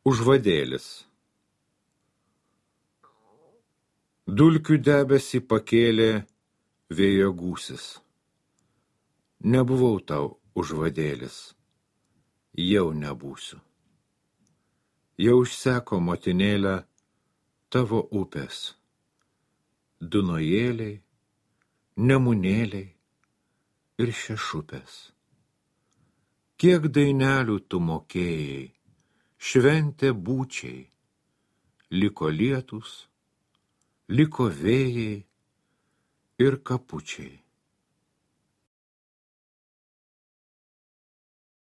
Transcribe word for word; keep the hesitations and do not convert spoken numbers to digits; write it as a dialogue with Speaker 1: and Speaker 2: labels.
Speaker 1: Užvadėlis. Dulkių debesį pakėlė vėjo gūsis. Nebuvau tau užvadėlis, jau nebūsiu. Jau išseko motinėlę tavo upės, Dunojėliai, Nemunėliai ir Šešupės. Kiek dainelių tu mokėjai, šventė būčiai, liko lietus, liko vėjai ir kapučiai.